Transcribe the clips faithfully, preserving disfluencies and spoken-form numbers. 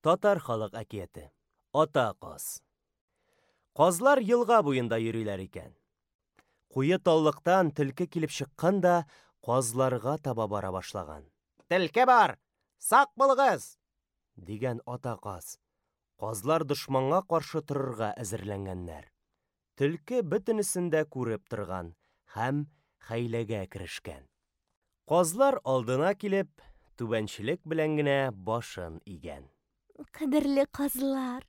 Татар халык әкияте. Ата каз. Казлар елга буенда йөриләр икән. Куе таллыктан төлке килеп чыккан да казларга таба бара башлаган. Төлке бар! Сак булыгыз! Дигән ата каз. Казлар дошманга каршы торырга әзерләнгәннәр. Төлке бөтенесен дә күреп торган һәм хәйләгә керешкән. Казлар алдына килеп, түбәнчелек белән генә башын игән. Кадерле казлар,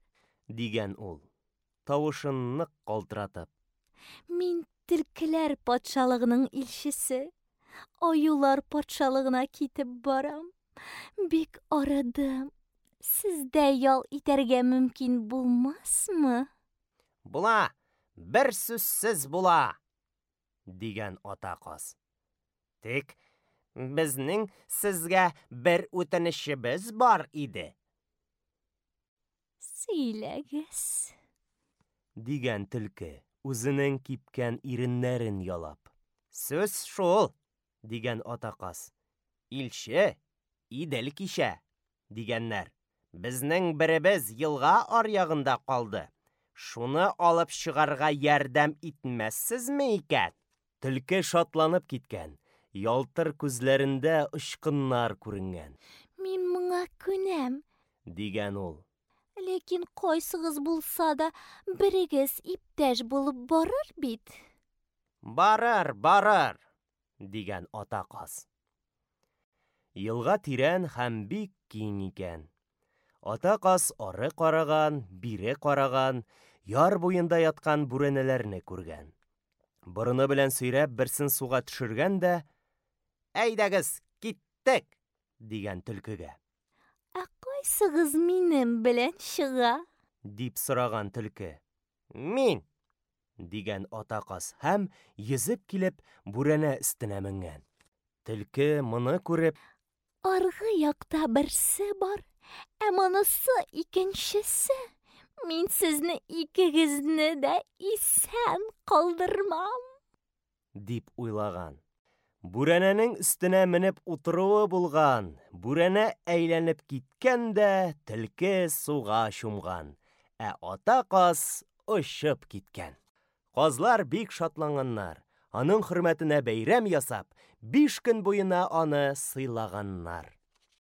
дигән ул, тавышын нык калтыратып. Мин төлкеләр патшалыгының илчесе. Аюлар патшалыгына китеп барам. Бик арыдым. Сездә ял итәргә мөмкин булмасмы? Була, бер сүзсез була, дигән ата каз. Тик безнең сезгә бер үтенечебез бар иде. Сөйләгез, дигән төлке, үзенең кипкән иреннәрен ялап. Сүз шул, дигән ата каз. Илче Идел кичә, дигәннәр. Безнең беребез елга аръягында калды. Шуны алып чыгарга ярдәм итмәссезме икән? Төлке шатланып киткән, ялтыр күзләрендә очкыннар күренгән. Мин моңа күнәм, дигән ул. Ләкин кайсыгыз булса да берегез иптәш булып барыр бит. Барыр, барыр, дигән ата каз. Елга тирән һәм бик киң икән. Ата каз ары караган, бире караган, яр буенда яткан бүрәнәләрне күргән. Борыны белән сөйрәп берсен суга төшергән дә, Әйдәгез, киттек, дигән төлкегә. Ә кайсыгыз минем белән чыга? Дип сораган төлке. Мин, дигән ата каз һәм йөзеп килеп бүрәнә өстенә менгән. Төлке моны күреп, Аргы якта берсе бар, ә монысы икенчесе. Мин сезне икегезне дә исән калдырмам, дип уйлаган. Бүрәнәнең өстенә менеп утыруы булган, бүрәнә әйләнеп киткән дә төлке суга чумган, ә ата каз очып киткән. Казлар бик шатланганнар. Аның хөрмәтенә бәйрәм ясап, биш көн буена аны сыйлаганнар.